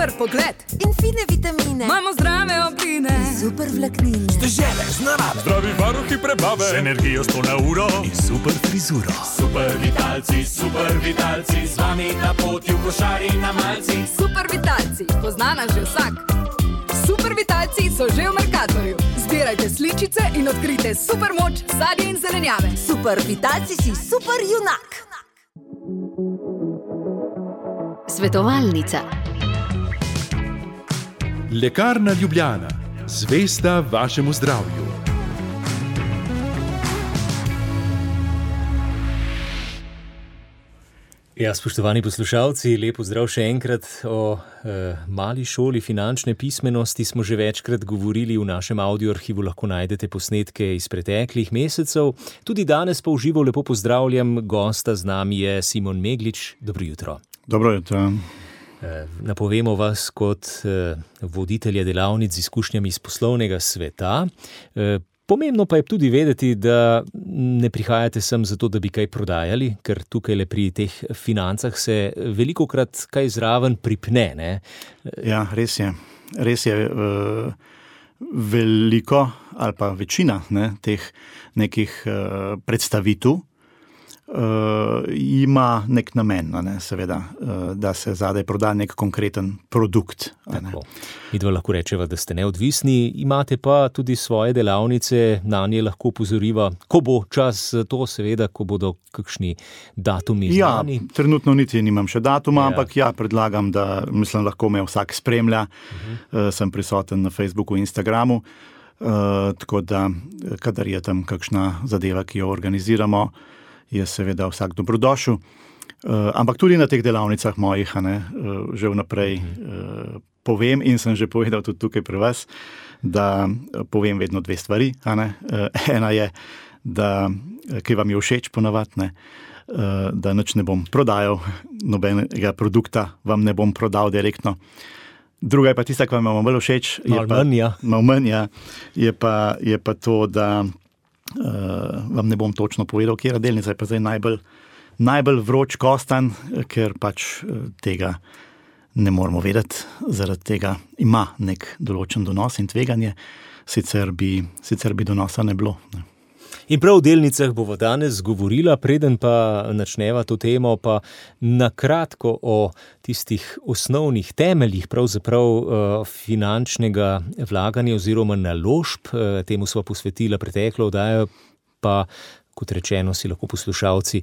super pogled in fine vitamine. Imamo zdrave obline, super vlaknine, Stežele z narave, zdravi varuhi prebave, z energijo 100 na uro in super frizuro. Super vitalci, z vami na poti v košari na malci. Super vitalci, pozna nas že vsak. Super vitalci so že v Mercatorju. Zbirajte sličice in odkrijte super moč sadja in zelenjave. Super vitalci si super junak. Svetovalnica. Lekarna Ljubljana, zvesta vašemu zdravju. Ja, spoštovani poslušalci, lep pozdrav še enkrat. O mali šoli finančne pismenosti smo že večkrat govorili v našem audioarhivu, lahko najdete posnetke iz preteklih mesecev. Tudi danes pa v živo lepo pozdravljam gosta, z nami je Simon Meglič. Dobro jutro. Dobro jutro. Napovemo vas kot voditelja delavnic z izkušnjami iz poslovnega sveta. Pomembno pa je tudi vedeti, da ne prihajate sem zato, da bi kaj prodajali, ker tukaj le pri teh financah se velikokrat kaj zraven pripne, ne? Ja, res je. Res je veliko ali pa večina teh nekih predstavitev ima nek namen, seveda, da se zadaj proda nek konkreten produkt. Midva lahko rečeva, da ste neodvisni, imate pa tudi svoje delavnice, na nje lahko opozoriva, ko bo čas za to, seveda, ko bodo kakšni datumi znani. Ja, trenutno niti nimam še datuma, ampak predlagam, da lahko me vsak spremlja. Sem prisoten na Facebooku in Instagramu, tako da, kadar je tam kakšna zadeva, ki jo organiziramo, je seveda vsak dobrodošel. Ampak tudi na teh delavnicah mojih, že vnaprej povem in sem že povedal tudi tukaj pri vas, da povem vedno dve stvari. Ena je, da kaj vam je všeč ponavadi, da nič ne bom prodajal, nobenega produkta vam ne bom prodal direktno. Druga je pa tista, ki vam je bolj všeč, malo manj, je pa to, da vam ne bom točno povedal, kjera delnica je pa zdaj najbolj vroč kostan, ker pač tega ne moramo vedeti, zaradi tega ima nek določen donos in tveganje, sicer bi donosa ne bilo. In prav v delnicah bomo danes govorila, preden pa načneva to temo, pa nakratko o tistih osnovnih temeljih pravzaprav finančnega vlaganja oziroma naložb. Temu sva posvetila preteklo oddajo, pa kot rečeno si lahko poslušalci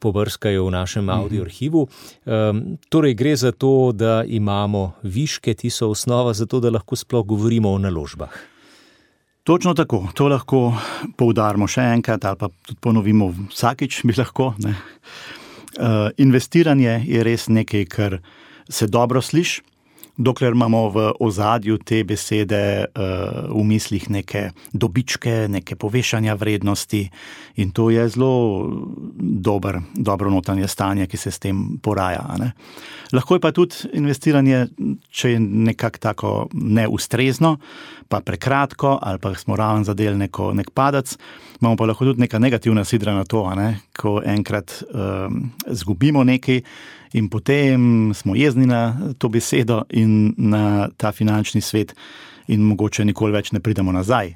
pobrskajo v našem audioarhivu. Torej gre za to, da imamo viške, ti so osnova za to, da lahko sploh govorimo o naložbah. Točno tako, to lahko poudarimo še enkrat ali pa tudi ponovimo vsakič bi lahko. Investiranje je res nekaj, kar se dobro sliši, dokler imamo v ozadju te besede v mislih neke dobičke, neke povešanja vrednosti in to je zelo dobro notranje stanje, ki se s tem poraja. Lahko je pa tudi investiranje, če je nekako tako neustrezno, pa prekratko ali pa smo raven zadel nek padec, imamo pa lahko tudi neka negativna sidra na to, ko enkrat zgubimo nekaj in potem smo jezni na to besedo in na ta finančni svet in mogoče nikoli več ne pridemo nazaj.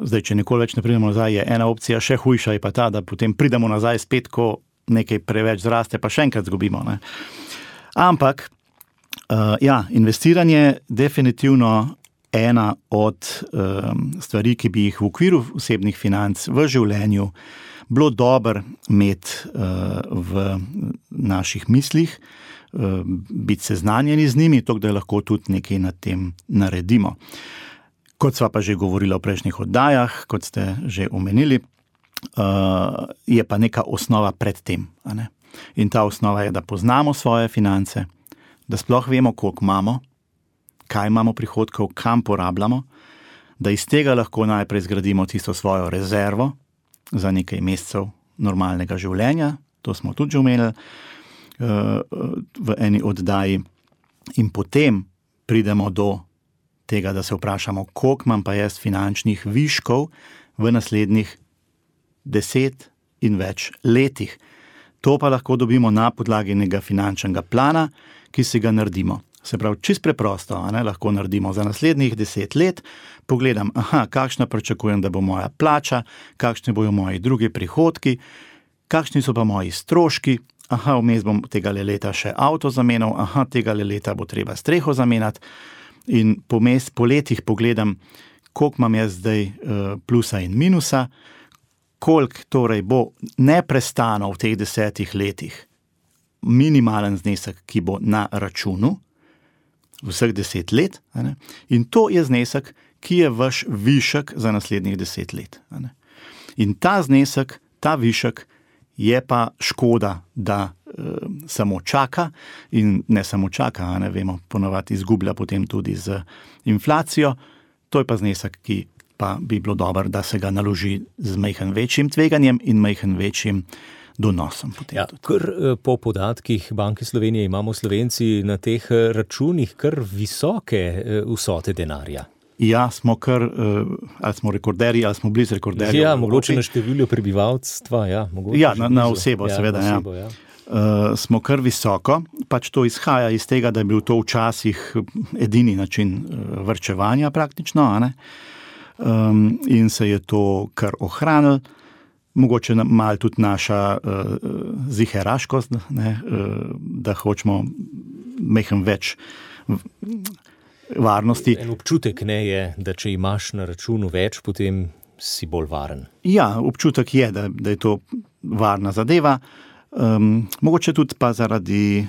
Zdaj, če nikoli več ne pridemo nazaj, je ena opcija, še hujša je pa ta, da potem pridemo nazaj spet, ko nekaj preveč zraste, pa še enkrat zgubimo. Ampak, investiranje definitivno ena od stvari, ki bi jih v okviru osebnih financ v življenju bilo dobro imeti v naših mislih, biti seznanjeni z njimi, tako da lahko tudi nekaj na tem naredimo. Kot sva pa že govorila v prejšnjih oddajah, kot ste že omenili, je pa neka osnova pred tem. In ta osnova je, da poznamo svoje finance, da sploh vemo, koliko imamo, kaj imamo prihodkov, kam porabljamo, da iz tega lahko najprej zgradimo tisto svojo rezervo za nekaj mesecev normalnega življenja, to smo tudi že omenili v eni oddaji, in potem pridemo do tega, da se vprašamo, koliko imam pa jaz finančnih viškov v naslednjih 10 in več letih. To pa lahko dobimo na podlagi nekega finančnega plana, ki si ga naredimo. Se pravi, čist preprosto, lahko naredimo za naslednjih 10 let, pogledam, kakšna pričakujem, da bo moja plača, kakšni bojo moji drugi prihodki, kakšni so pa moji stroški, vmes bom tega leta še avto zamenjal, tega leta bo treba streho zamenjati in po letih pogledam, koliko imam jaz zdaj plusa in minusa, koliko torej bo neprestano v teh 10 letih minimalen znesek, ki bo na računu, vseh 10 let, in to je znesek, ki je vaš višek za naslednjih 10 let. In ta znesek, ta višek je pa škoda, da samo čaka in ne samo čaka, vemo, ponovadi izgublja potem tudi z inflacijo, to je pa znesek, ki pa bi bilo dobro, da se ga naloži z majhen večjim tveganjem in majhen večjim donosom. Ja, po podatkih Banke Slovenije imamo Slovenci na teh računih kar visoke vsote denarja. Ja, smo kar, ali smo rekorderji, ali smo blizu rekorderjev. Ja, mogoče na številju prebivalstva, ja. Ja, na osebo, seveda, ja. Smo kar visoko, pač to izhaja iz tega, da je bil to včasih edini način varčevanja praktično, in se je to kar ohranilo. Mogoče malo tudi naša ziheraškost, da hočemo majhen več varnosti. En občutek je, da če imaš na računu več, potem si bolj varen. Ja, občutek je, da je to varna zadeva. Mogoče tudi pa zaradi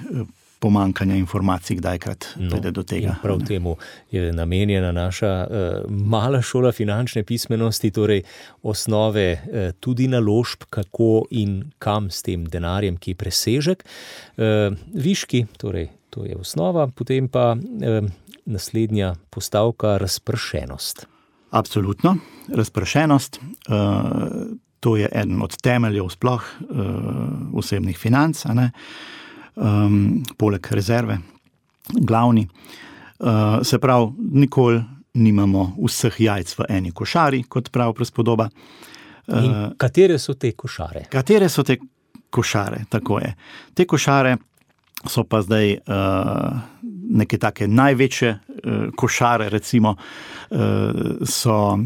pomankanja informacij kdajkrat pride do tega. Prav temu je namenjena naša mala šola finančne pismenosti, torej osnove tudi naložb, kako in kam s tem denarjem, ki je presežek. Viški, torej to je osnova, potem pa naslednja postavka razpršenost. Absolutno, razpršenost. To je eden od temeljev sploh osebnih financ, poleg rezerve, glavni. Se pravi, nikoli nimamo vseh jajc v eni košari, kot pravi prispodoba. In katere so te košare? Katere so te košare, tako je. Te košare so pa zdaj neke take največje košare, recimo, so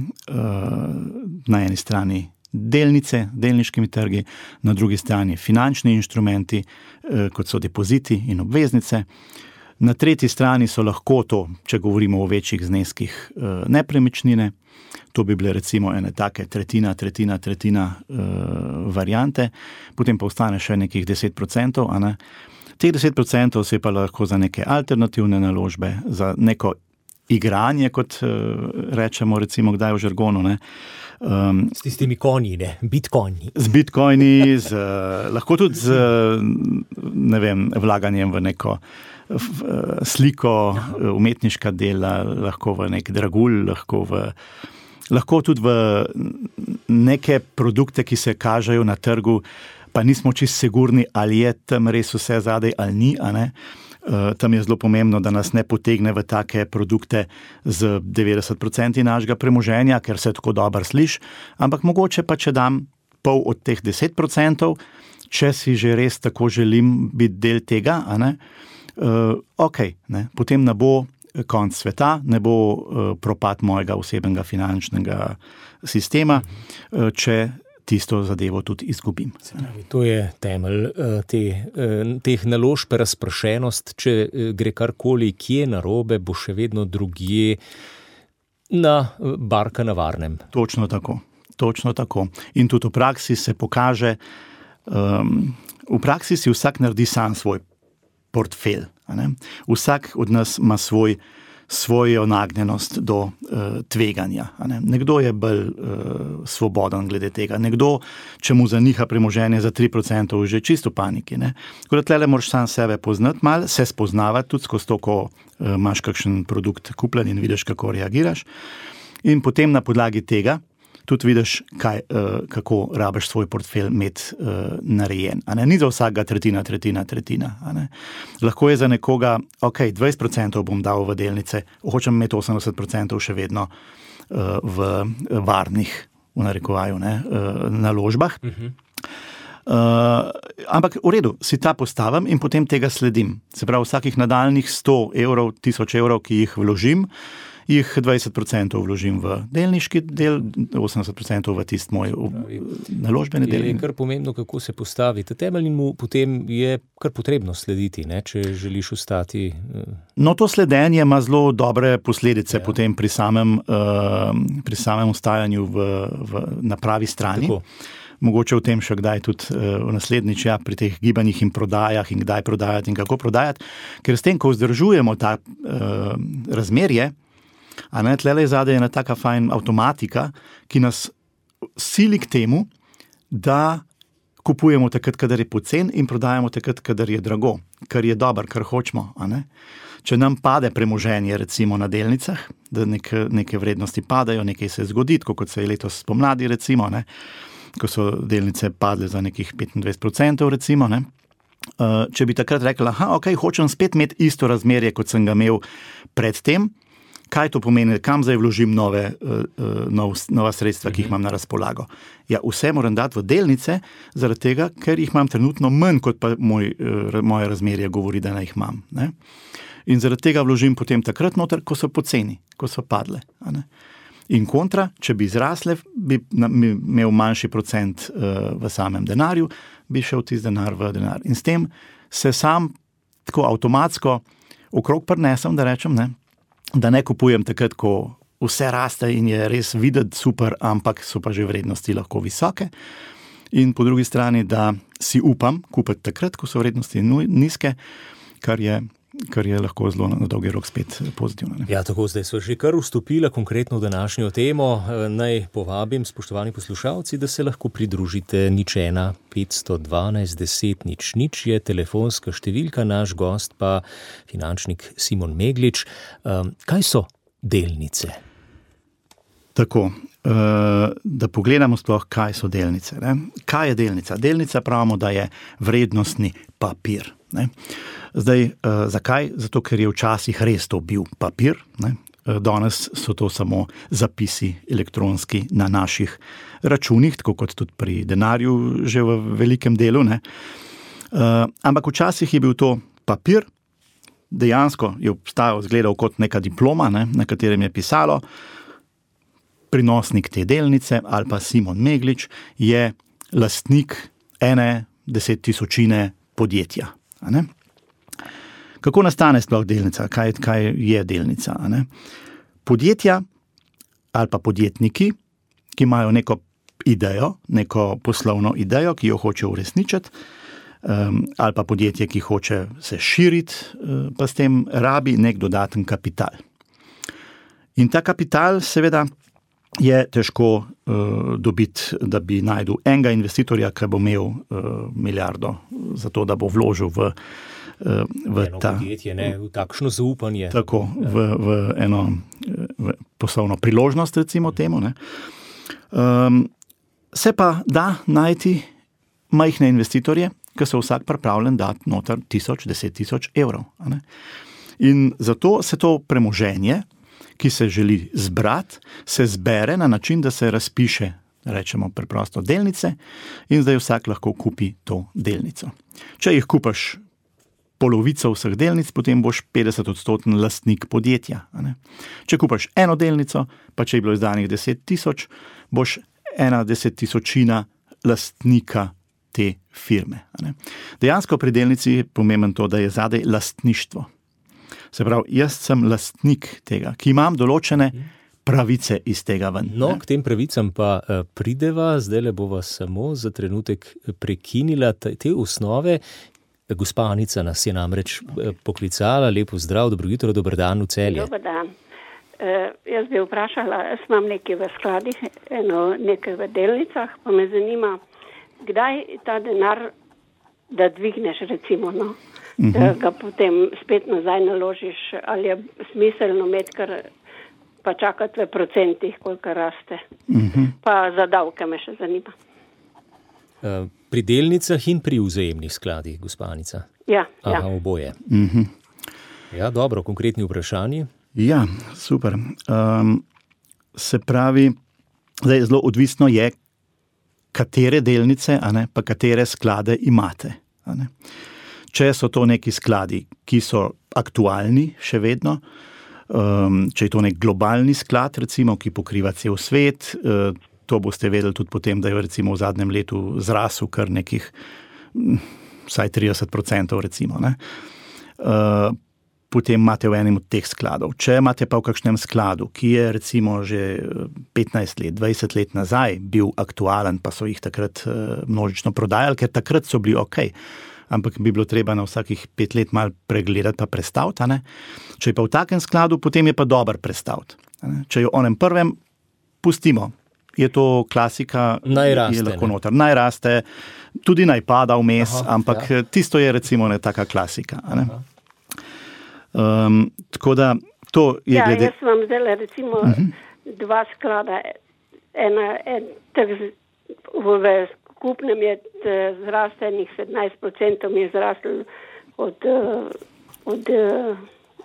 na eni strani delnice, delniškimi trgi, na drugi strani finančni inštrumenti, kot so depoziti in obveznice. Na tretji strani so lahko to, če govorimo o večjih zneskih, nepremičnine. To bi bile recimo ene take tretjina variante, potem pa ostane še nekih 10%, Teh 10% se pa lahko za neke alternativne naložbe, za neko igranje, kot rečemo recimo kdaj v žargonu. S tistimi konji, bitcoini. Z bitcoini, lahko tudi z, vlaganjem v neko sliko, umetniška dela, lahko v nek dragulj, lahko tudi v neke produkte, ki se kažejo na trgu, pa nismo čisto sigurni, ali je tam res vse zadaj ali ni, Tam je zelo pomembno, da nas ne potegne v take produkte z 90% našega premoženja, ker se tako dobro sliši, ampak mogoče pa, če dam pol od teh 10%, če si že res tako želim biti del tega, potem ne bo konc sveta, ne bo propad mojega osebnega finančnega sistema, če tisto zadevo tudi izgubim. To je temelj teh naložb, razpršenost, če gre karkoli, kje narobe, bo še vedno drugje na barka na varnem. Točno tako. In tudi v praksi se pokaže, v praksi si vsak naredi sam svoj portfelj. Vsak od nas ima svojo nagnjenost do tveganja. Nekdo je bolj svoboden glede tega, nekdo, če mu zaniha premoženje za 3%, že čisto paniki. Tako da tlele moraš sam sebe poznati malo, se spoznavati tudi skozi to, ko imaš kakšen produkt kupljen in vidiš, kako reagiraš. In potem na podlagi tega tudi vidiš, kako rabiš svoj portfelj imeti narejen. Ni za vsakega tretjina. Lahko je za nekoga, 20% bom dal v delnice, hočem imeti 80% še vedno v varnih, v narekovaju, naložbah. Ampak v redu, si ta postavim in potem tega sledim. Se pravi, vsakih nadaljnih 100 evrov, 1000 evrov, ki jih vložim, jih 20% vložim v delniški del, 80% v tist moj naložbeni del. Je kar pomembno, kako se postavite. Temeljnemu potem je kar potrebno slediti, ne, če želiš ostati. No, to sledenje ima zelo dobre posledice potem pri samem ostajanju na pravi strani. Tako. Mogoče v tem še kdaj tudi v naslednjič, pri teh gibanjih in prodajah in kdaj prodajati in kako prodajati, ker s tem, ko vzdržujemo ta razmerje, a ne, tlele zadaj je ena taka fajn avtomatika, ki nas sili k temu, da kupujemo takrat, kadar je pocen in prodajamo takrat, kadar je drago, kar je dobro, kar hočemo, a ne. Če nam pade premoženje recimo na delnicah, da neke vrednosti padajo, nekaj se zgodi, kot se je letos spomladi recimo, ne, ko so delnice padle za nekih 25% recimo, ne. Če bi takrat rekla, hočem spet imeti isto razmerje, kot sem ga imel predtem, kaj to pomeni, kam zdaj vložim nova sredstva, ki jih imam na razpolago. Ja, vse moram dati v delnice, zaradi tega, ker jih imam trenutno manj, kot pa moje razmerje govori, da jih imam. Ne? In zaradi tega vložim potem takrat noter, ko so poceni, ko so padle. A ne? In kontra, če bi zrasle, bi imel manjši procent v samem denarju, bi šel tisti denar v denar. In s tem se sam tako avtomatsko okrog prinesem, da rečem, ne, da ne kupujem takrat, ko vse raste in je res videti super, ampak so pa že vrednosti lahko visoke. In po drugi strani, da si upam kupiti takrat, ko so vrednosti nizke, kar je lahko zelo na dolgi rok spet pozitivno. Ne? Ja, tako zdaj so že kar vstopila konkretno v današnjo temo. Naj povabim, spoštovani poslušalci, da se lahko pridružite 01 512 10 00 je telefonska številka, naš gost pa finančnik Simon Meglič. Kaj so delnice? Tako, da pogledamo sploh, kaj so delnice. Ne? Kaj je delnica? Delnica pravimo, da je vrednostni papir. Ne? Zdaj, zakaj? Zato, ker je včasih res to bil papir. Ne? Danes so to samo zapisi elektronski na naših računih, tako kot tudi pri denarju že v velikem delu. Ne? Ampak včasih je bil to papir, dejansko je obstajal, izgledal kot neka diploma, ne? Na katerem je pisalo, prinosnik te delnice ali pa Simon Meglič je lastnik 1/10.000 podjetja. A ne? Kako nastane sploh delnica? Kaj je delnica? A ne? Podjetja ali pa podjetniki, ki imajo neko idejo, neko poslovno idejo, ki jo hoče uresničiti, ali pa podjetje, ki hoče se širiti, pa s tem rabi nek dodaten kapital. In ta kapital seveda je težko dobiti, da bi najdel enega investitorja, ki bo imel milijardo za to, da bo vložil v ta podjetje, ne, v takšno zaupanje. Tako, v eno poslovno priložnost, recimo temu. Ne. Se pa da najti majhne investitorje, ki so vsak pripravljen dati noter 1000-10 000 evrov. A ne. In zato se to premoženje, ki se želi zbrati, se zbere na način, da se razpiše, rečemo preprosto, delnice in zdaj vsak lahko kupi to delnico. Če jih kupaš polovico vseh delnic, potem boš 50% lastnik podjetja. A ne? Če kupaš eno delnico, pa če je bilo izdanih 10 000, boš 1/10.000 lastnika te firme. A ne? Dejansko pri delnici je pomembno to, da je zadaj lastništvo. Se pravi, jaz sem lastnik tega, ki imam določene pravice iz tega ven. No, k tem pravicam pa prideva, zdaj bova samo za trenutek prekinila te osnove. Gospa Anica nas je namreč poklicala. Lepo zdrav, dobro jutro, dober dan v Celje. Dober dan. Jaz bi vprašala, jaz imam nekaj v skladih, nekaj v delnicah, pa me zanima, kdaj ta denar, da dvigneš recimo, no, da ga potem spet nazaj naložiš, ali je smiselno imeti, kar pa čakati v procentih, koliko raste. Pa za davke me še zanima. Pri delnicah in pri vzajemnih skladih, gospa Anica? Ja. Oboje. Ja, dobro, konkretni vprašanji? Ja, super. Se pravi, zdaj zelo odvisno je, katere delnice, pa katere sklade imate. Če so to neki skladi, ki so aktualni še vedno, če je to nek globalni sklad, recimo, ki pokriva cel svet, to boste vedeli tudi potem, da je recimo v zadnjem letu zrasel kar nekih vsaj 30%, recimo. Potem imate v enem od teh skladov. Če imate pa v kakšnem skladu, ki je recimo že 15 let, 20 let nazaj bil aktualen, pa so jih takrat množično prodajali, ker takrat so bili okej. Ampak bi bilo treba na vsakih 5 let malo pregledati pa prestaviti. Če je pa v takem skladu, potem je pa dober prestaviti. Če je v onem prvem, pustimo. Je to klasika, je lahko noter. Naj raste, tudi naj pada vmes, ampak tisto je recimo taka klasika. Tako da to je glede... Jaz vam zdaj recimo dva sklada, v skupnem je zrastenih 17% je zrastel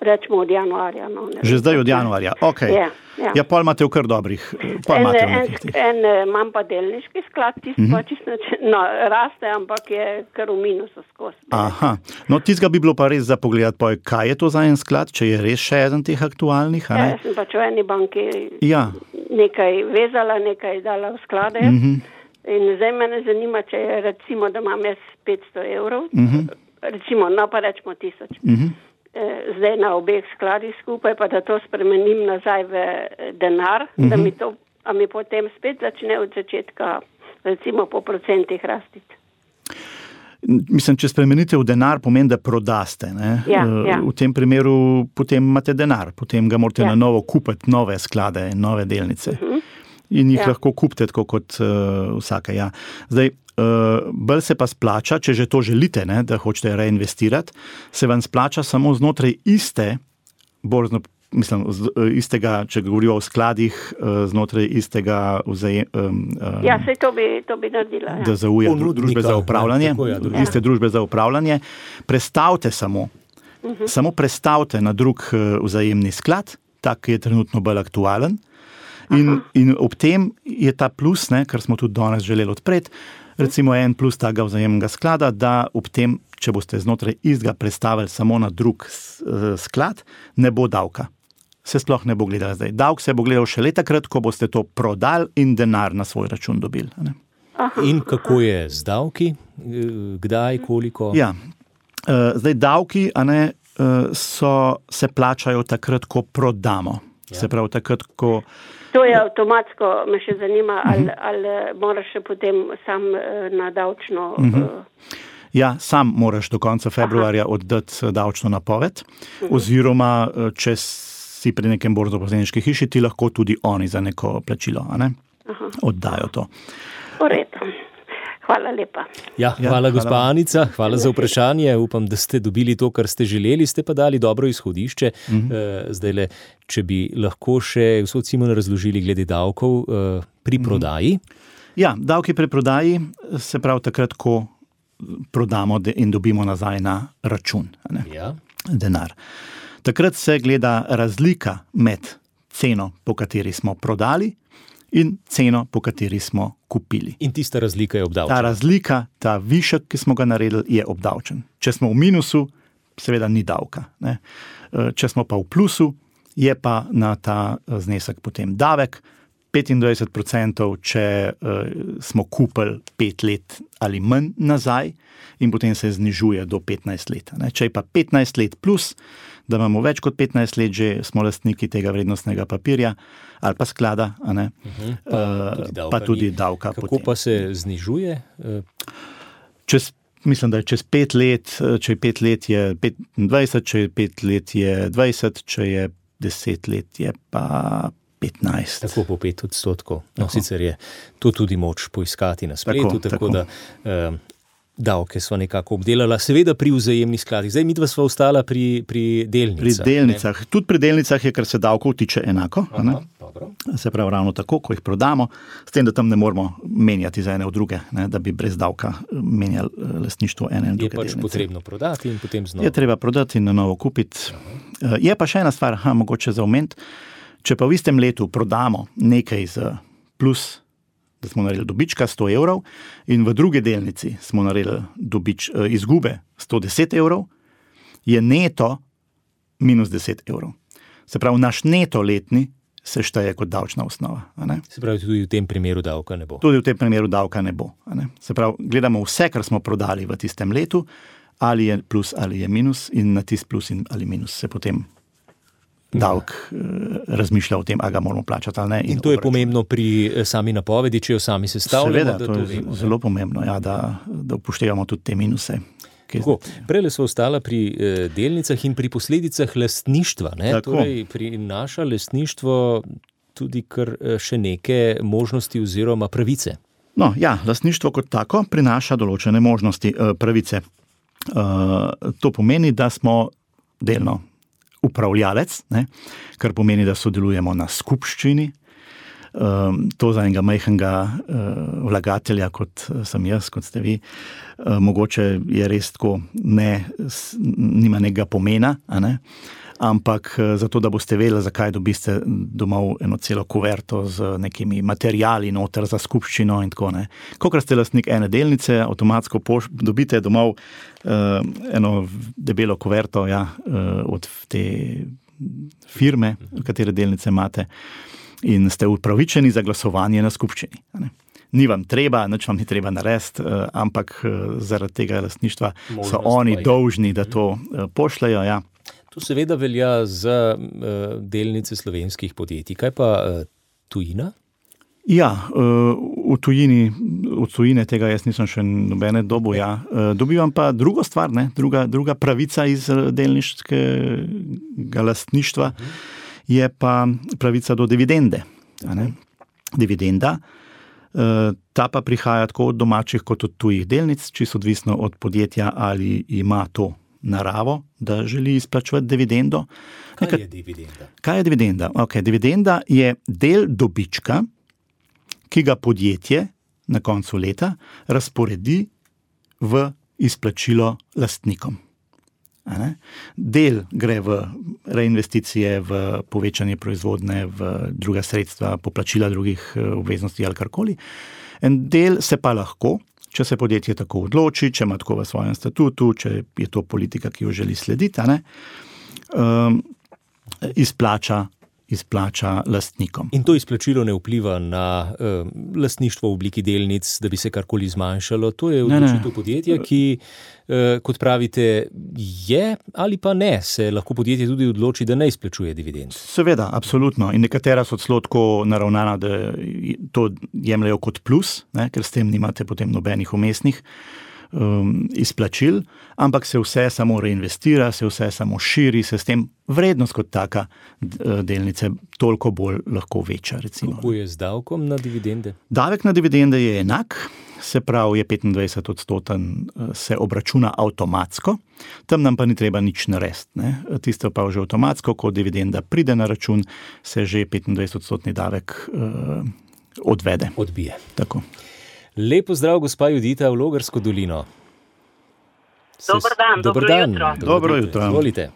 rečemo od januarja. Že zdaj od januarja, okej. Ja, pol imate v kar dobrih. Imam pa delniški sklad, raste, ampak je kar v minusu skozi. Aha, no tistega bi bilo pa res za pogledati, kaj je to za en sklad, če je res še eden teh aktualnih, Ja, sem pač v eni banki nekaj vezala, nekaj dala v sklade. In zdaj mene zanima, če je recimo, da imam jaz 500 evrov, recimo, pa rečemo 1000. Zdaj na obeh skladih skupaj, pa da to spremenim nazaj v denar, da mi potem spet začne od začetka, recimo po procentih rastiti. Mislim, če spremenite v denar, pomeni, da prodaste. Ja. V tem primeru potem imate denar, potem ga morate na novo kupiti, nove sklade, nove delnice. In jih lahko kupite tako kot vsaka. Ja. Zdaj, bolj se pa splača, če že to želite, da hočete reinvestirati, se vam splača samo znotraj iste borzno, mislim, istega, če govorijo o skladih, znotraj istega sej to bi naredila. DZU-ja, družbe za upravljanje, iste družbe za upravljanje. Prestavite samo prestavite na drug vzajemni sklad, tak, ki je trenutno bolj aktualen. In ob tem je ta plus, kar smo tudi danes želeli odpreti, recimo en plus tega vzajemnega sklada, da ob tem, če boste znotraj istega prestavili samo na drug sklad, ne bo davka. Se sploh ne bo gledala zdaj. Davk se bo gledal še takrat, ko boste to prodali in denar na svoj račun dobili. In kako je z davki? Kdaj, koliko? Ja, zdaj davki se plačajo takrat, ko prodamo. Se pravi, takrat, ko... To je avtomatsko, me še zanima, ali moraš še potem sam na davčno... Ja, sam moraš do konca februarja oddati davčno napoved, oziroma če si pri nekem borznoposredniški hiši, ti lahko tudi oni za neko plačilo, oddajo to. V redu. Hvala lepa. Ja, hvala gospa Anica, hvala za vprašanje. Upam, da ste dobili to, kar ste želeli, ste pa dali dobro izhodišče. Zdajle, če bi lahko še gospod Simon razložili glede davkov pri prodaji. Ja, davki pri prodaji se pravi takrat, ko prodamo in dobimo nazaj na račun. Denar. Takrat se gleda razlika med ceno, po kateri smo prodali, in ceno, po kateri smo kupili. In tista razlika je obdavčena. Ta razlika, ta višek, ki smo ga naredili, je obdavčen. Če smo v minusu, seveda ni davka. Če smo pa v plusu, je pa na ta znesek potem davek. 25%, če smo kupili 5 let ali manj nazaj, in potem se znižuje do 15 let. Če je pa 15 let plus, da imamo več kot 15 let, že smo lastniki tega vrednostnega papirja ali pa sklada, pa tudi davka. Kako potem. Pa se znižuje? Mislim, da je čez 5 let, če je 5 let je 25, če je 5 let je 20, če je 10 let je pa 15. Tako po 5%. No, sicer je to tudi moč poiskati na spletu, tako da davke sva nekako obdelala, seveda pri vzajemnih skladih. Zdaj midva sva ostala pri delnicah. Pri delnicah. Tudi pri delnicah je, kar se davkov tiče enako. Se pravi ravno tako, ko jih prodamo, s tem, da tam ne moramo menjati za ene v druge, da bi brez davka menjali lastništvo ene in druge delnice. Je pač potrebno prodati in potem znova. Je treba prodati in na novo kupiti. Je pa še ena stvar, mogoče za omeniti. Če pa v istem letu prodamo nekaj z plus da smo naredili dobička 100 evrov in v drugi delnici smo naredili izgube 110 evrov, je neto minus 10 evrov. Se pravi, naš neto letni se šteje kot davčna osnova. Se pravi, tudi v tem primeru davka ne bo. Tudi v tem primeru davka ne bo. Se pravi, gledamo vse, kar smo prodali v tistem letu, ali je plus ali je minus in na tist plus ali minus se potem davek razmišlja o tem, a ga moramo plačati ali ne. In to je pomembno pri sami napovedi, če jo sami sestavljamo. Seveda, to je zelo pomembno, ja, da upoštevamo tudi te minuse. Prele so ostala pri delnicah in pri posledicah lastništva. Torej, prinaša lastništvo tudi kar še neke možnosti oziroma pravice. No, ja, lastništvo kot tako prinaša določene možnosti, pravice. To pomeni, da smo delno upravljalec, kar pomeni, da sodelujemo na skupščini. To za enega majhnega vlagatelja, kot sem jaz, kot ste vi, mogoče je res tako, nima nekega pomena, ampak zato, da boste vedeli, zakaj dobiste domov eno celo kuverto z nekimi materiali noter za skupščino in tako ne. Kolikor ste lastnik ene delnice, avtomatsko dobite domov eno debelo kuverto od te firme, katere delnice imate, in ste upravičeni za glasovanje na skupščini. Ni vam treba, nič vam ni treba narediti, ampak zaradi tega lastništva so oni dolžni, da to pošljajo. Ja. To seveda velja za delnice slovenskih podjetij. Kaj pa tujina? Ja, v tujine tega jaz nisem še nobene dobu. Ja. Dobivam pa drugo stvar, druga pravica iz delniškega lastništva, je pa pravica do dividende. Dividenda, ta pa prihaja tako od domačih kot od tujih delnic, čisto odvisno od podjetja, ali ima to naravo, da želi izplačevati dividendo. Kaj je dividenda? Kaj je dividenda? Okay, dividenda je del dobička, ki ga podjetje na koncu leta razporedi v izplačilo lastnikom. Del gre v reinvesticije, v povečanje proizvodne, v druga sredstva, poplačila drugih obveznosti ali karkoli. En del se pa lahko, če se podjetje tako odloči, če ima tako v svojem statutu, če je to politika, ki jo želi slediti, izplača lastnikom. In to izplačilo ne vpliva na lastništvo v obliki delnic, da bi se karkoli zmanjšalo. To je odločitev podjetja, ki, kot pravite, je ali pa ne, se lahko podjetje tudi odloči, da ne izplačuje dividend. Seveda, absolutno. In nekatera so celo tako naravnana, da to jemljajo kot plus, ker s tem nimate potem nobenih umestnih izplačil, ampak se vse samo reinvestira, se vse samo širi, se s tem vrednost kot taka delnice toliko bolj lahko veča. Recimo. Kako je z davkom na dividende? Davek na dividende je enak, se pravi je 25%, se obračuna avtomatsko, tam nam pa ni treba nič narediti. Tisto pa že avtomatsko, ko dividenda pride na račun, se že 25% davek odvede. Odbije. Tako. Lepo zdrav, gospa Judita, v Logarsko dolino. Dober dan, dobro jutro. Dobro jutro. Izvolite.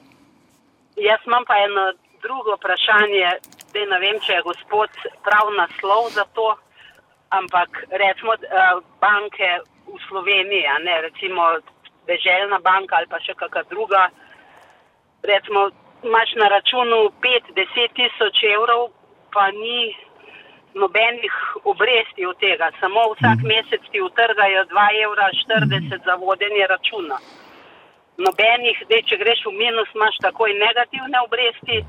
Jaz imam pa eno drugo vprašanje, da ne vem, če je gospod prav naslov za to, ampak recimo banke v Sloveniji, recimo Deželna banka ali pa še kakšna druga, recimo imaš na računu 5-10 tisoč evrov, pa ni nobenih obresti od tega, samo vsak mesec ti utrgajo 2,40 € za vodenje računa. Nobenih, če greš v minus, imaš takoj negativne obresti,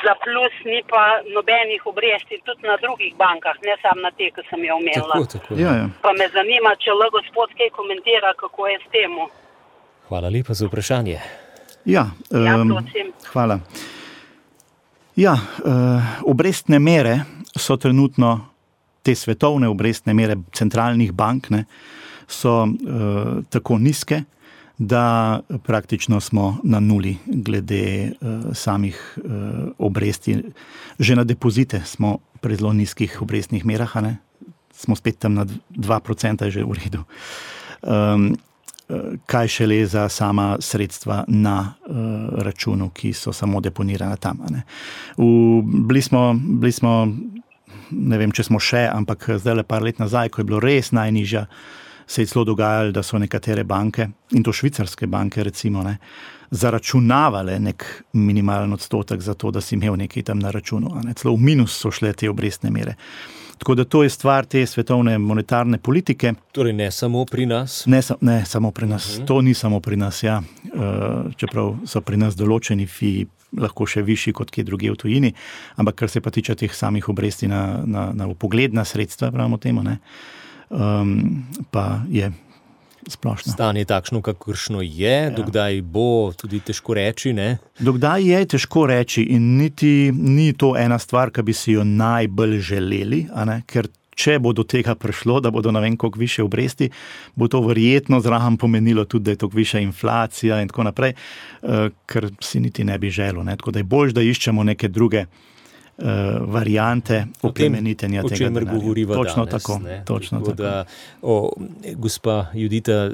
za plus ni pa nobenih obresti tudi na drugih bankah, ne samo na te, ki sem jo omenila. Tako. Ja. Pa me zanima, če lahko gospod kaj komentira, kako je s temu. Hvala lepa za vprašanje. Ja, prosim. Hvala. Ja, obrestne mere so trenutno, te svetovne obrestne mere centralnih bank, so tako nizke, da praktično smo na nuli glede samih obresti. Že na depozite smo pri zelo nizkih obrestnih merah, smo spet tam na 2% že v redu. Kaj šele za sama sredstva na računu, ki so samo deponirana tam. Bili smo ne vem, če smo še, ampak zdaj par let nazaj, ko je bilo res najnižja, se je celo dogajalo, da so nekatere banke, in to švicarske banke recimo, ne, zaračunavale nek minimalen odstotek za to, da si imel nekaj tam na računu. Ne. Celo v minus so šle te obrestne mere. Tako da to je stvar te svetovne monetarne politike. Torej ne samo pri nas? Ne samo pri nas. To ni samo pri nas, ja. Čeprav so pri nas določeni fiji lahko še višji kot kje druge v tujini, ampak kar se pa tiče teh samih obresti na vpogledna sredstva, pravimo temu, ne, pa je splošno. Stanje takšno, kakršno je, dokdaj bo tudi težko reči, ne? Dokdaj je težko reči in niti ni to ena stvar, ki bi si jo najbolj želeli, a ne? Ker če bo do tega prišlo, da bodo ne vem koliko više obresti, bo to verjetno zraven pomenilo tudi, da je toliko višja inflacija in tako naprej, ker si niti ne bi želel, ne? Tako da je boljše, da iščemo neke druge variante oplemenitenja tega denarja. O čemer govoriva točno danes. Tako, točno tako. Da, gospa Judita,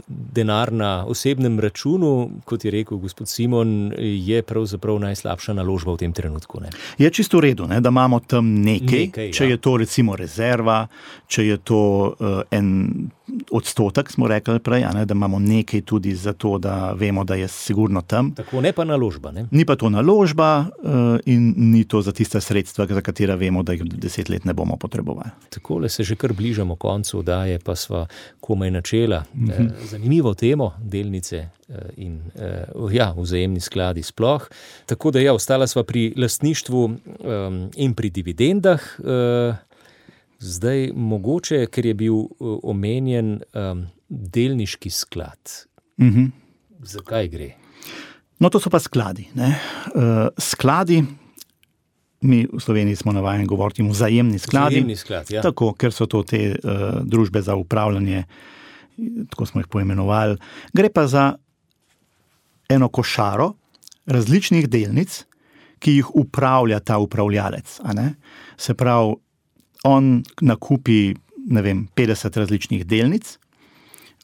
denar na osebnem računu, kot je rekel gospod Simon, je pravzaprav najslabša naložba v tem trenutku. Ne? Je čisto v redu, ne, da imamo tam nekaj, če je to recimo rezerva, če je to en odstotek, smo rekli prej, ne, da imamo nekaj tudi za to, da vemo, da je sigurno tam. Tako, ne pa naložba, ne? Ni pa to naložba in ni to za tista sredstva, za katera vemo, da jih 10 let ne bomo potrebovali. Takole se že kar bližamo koncu oddaje, pa sva komaj načela. Zanimivo temo, delnice in vzajemni skladi sploh. Tako da ostala sva pri lastništvu in pri dividendah. Zdaj mogoče, ker je bil omenjen delniški sklad. Zakaj gre? No, to so pa skladi. Ne? Skladi, mi v Sloveniji smo navajeni govoriti vzajemni skladi. Vzajemni sklad, ja. Tako, ker so to te družbe za upravljanje, tako smo jih poimenovali. Gre pa za eno košaro različnih delnic, ki jih upravlja ta upravljalec. A ne? Se pravi, on nakupi, 50 različnih delnic,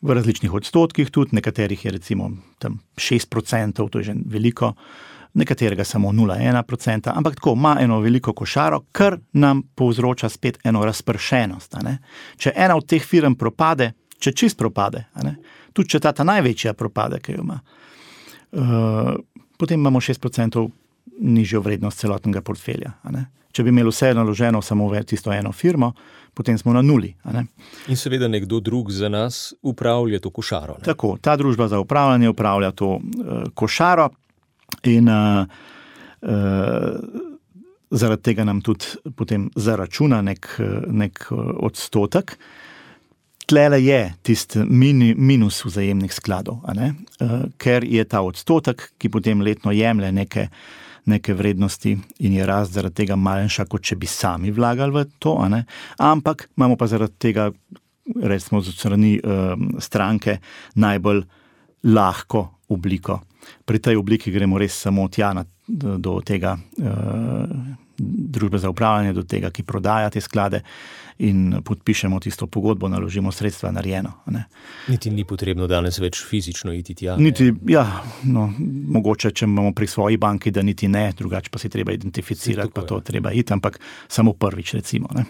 v različnih odstotkih tudi, nekaterih je recimo tam 6%, to je že veliko, nekaterega samo 0,1%, ampak tako ima eno veliko košaro, kar nam povzroča spet eno razpršenost. A ne? Če ena od teh firm propade, če čist propade, a ne? Tudi če ta največja propade, ki jo ima, potem imamo 6% nižjo vrednost celotnega portfelja. A ne? Če bi imeli vse naloženo samo v tisto eno firmo, potem smo na nuli. A ne? In seveda nekdo drug za nas upravlja to košaro. Ne? Tako, ta družba za upravljanje upravlja to košaro in zaradi tega nam tudi potem zaračuna nek odstotek. Tlele je tisti minus vzajemnih skladov, a ne? Ker je ta odstotek, ki potem letno jemlje neke vrednosti in je rast zaradi tega manjša, kot če bi sami vlagali v to, a ne? Ampak imamo pa zaradi tega, recimo z strani stranke, najbolj lahko obliko. Pri tej obliki gremo res samo tja do tega družbe za upravljanje, do tega, ki prodaja te sklade in podpišemo tisto pogodbo, naložimo sredstva narejeno. Niti ni potrebno danes več fizično iti tja. Niti, mogoče, če imamo pri svoji banki, da niti ne, drugače pa si treba identificirati, pa to treba iti, ampak samo prvič recimo. Ne?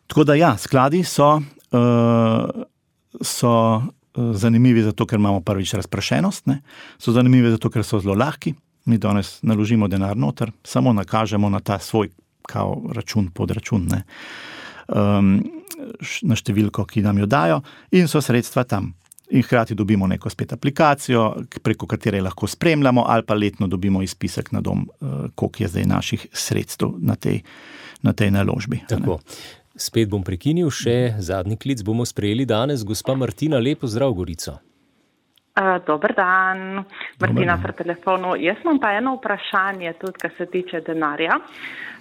Tako da skladi so zanimivi zato, ker imamo prvič razprašenost, ne? So zanimivi zato, ker so zelo lahki. Mi danes naložimo denar noter, samo nakažemo na ta svoj kao račun, podračun, ne? Na številko, ki nam jo dajo, in so sredstva tam. In hkrati dobimo neko spet aplikacijo, preko katere lahko spremljamo, ali pa letno dobimo izpisek na dom, koliko je zdaj naših sredstev na tej naložbi. Tako. Spet bom prekinil, še zadnji klic bomo sprejeli danes. Gospa Martina, lepo zdrav, Gorico. Dober dan, Martina pri telefonu. Jaz imam pa eno vprašanje tudi, kar se tiče denarja.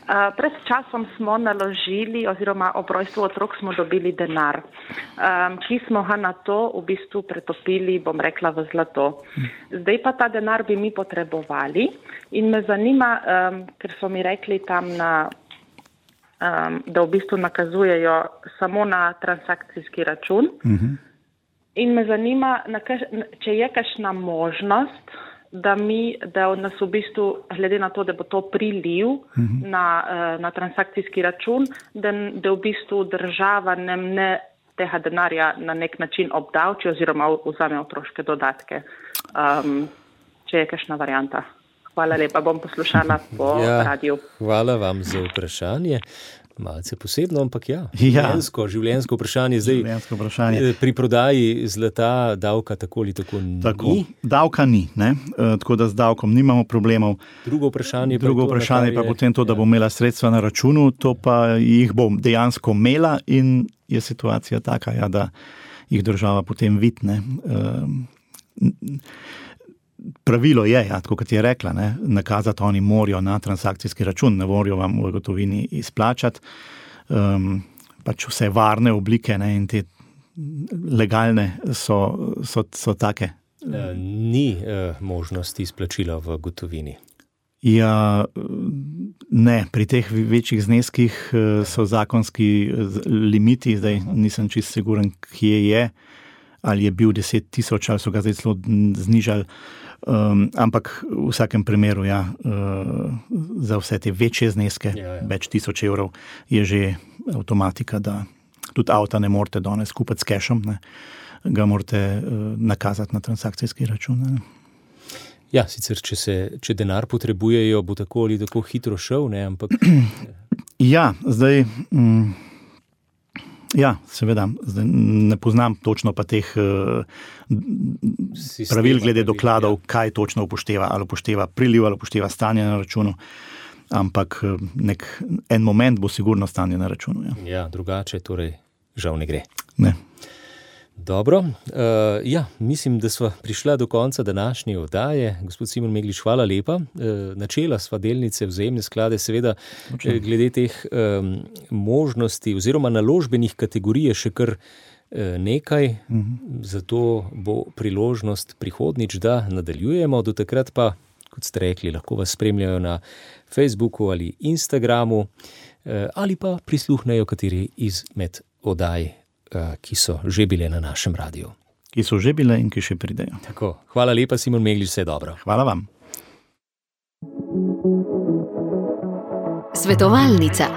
Pred časom smo naložili, oziroma ob rojstvu otrok smo dobili denar, ki smo ga na to v bistvu pretopili, bom rekla, v zlato. Zdaj pa ta denar bi mi potrebovali in me zanima, ker so mi rekli tam da v bistvu nakazujejo samo na transakcijski račun. In me zanima, če je kakšna možnost, da nas v bistvu, glede na to, da bo to priliv na transakcijski račun, da v bistvu država nam ne tega denarja na nek način obdavči oziroma vzame otroške dodatke. Če je kakšna varianta. Hvala lepa, bom poslušala po radiju. Hvala vam za vprašanje. Malce posebno, ampak življenjsko vprašanje. Zdaj, pri prodaji zlata davka tako ali tako ni. Davka ni, ne? Tako da z davkom nimamo problemov. Drugo vprašanje pa potem to, da bo imela sredstva na računu, to pa jih bom dejansko imela in je situacija taka, da jih država potem vidne. Pravilo je, tako kot je rekla, nakazati oni morajo na transakcijski račun, ne morajo vam v gotovini izplačati. Pač vse varne oblike in te legalne so take. Ni možnosti izplačila v gotovini. Ja, ne, pri teh večjih zneskih so zakonski limiti, zdaj nisem čisto siguren, kje je, ali je bil 10 000, ali so ga zdaj celo znižali. Ampak v vsakem primeru, za vse te večje zneske, več 1000 evrov, je že avtomatika, da tudi avta ne morete danes kupiti s cashom, ga morate nakazati na transakcijski račun. Ja, sicer, če denar potrebujejo, bo tako ali tako hitro šel, ampak... Ja, zdaj... Ja, seveda, zdaj ne poznam točno pa teh pravil glede dokladov, kaj točno upošteva, ali upošteva priliv, ali upošteva stanje na računu, ampak en moment bo sigurno stanje na računu. Ja, drugače torej žal ne gre. Ne. Dobro, mislim, da sva prišla do konca današnje oddaje. Gospod Simon Meglič, hvala lepa. Načela sva delnice, vzajemne sklade, seveda glede teh možnosti oziroma naložbenih kategorij je še kar nekaj, zato bo priložnost prihodnič, da nadaljujemo. Do takrat pa, kot ste rekli, lahko vas spremljajo na Facebooku ali Instagramu ali pa prisluhnejo kateri izmed oddaj, ki so že bile na našem radiju. Ki so že bile in ki še pridejo. Tako, hvala lepa, Simon Meglič, vse dobro. Hvala vam. Svetovalnica.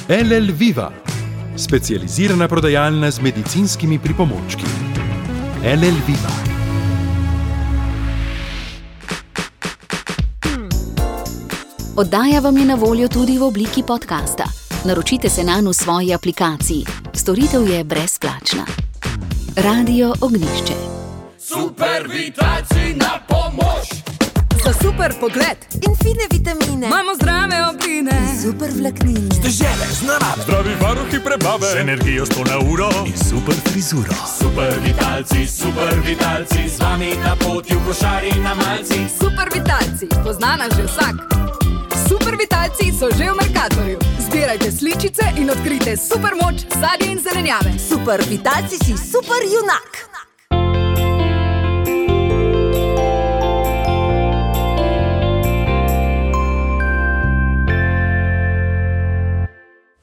LL Viva, specializirana prodajalna z medicinskimi pripomočki. LL Viva. Oddaja vam je na voljo tudi v obliki podcasta. Naročite se nanj v svoji aplikaciji. Storitev je brezplačna. Radio Ognjišče. Super vitalci na pomoč! Za super pogled in fine vitamine. Imamo zdrave obline. Super vlaknine. Dežele z narave. Zdravi varuhi prebave. Z energijo 100 na uro. In super frizuro. Super vitalci, z vami na poti v košari na malci. Super vitalci, pozna nas že vsak. Super vitalci so že v Mercatorju. Zbirajte sličice in odkrite super moč sadja in zelenjave. Super vitalci si super junak.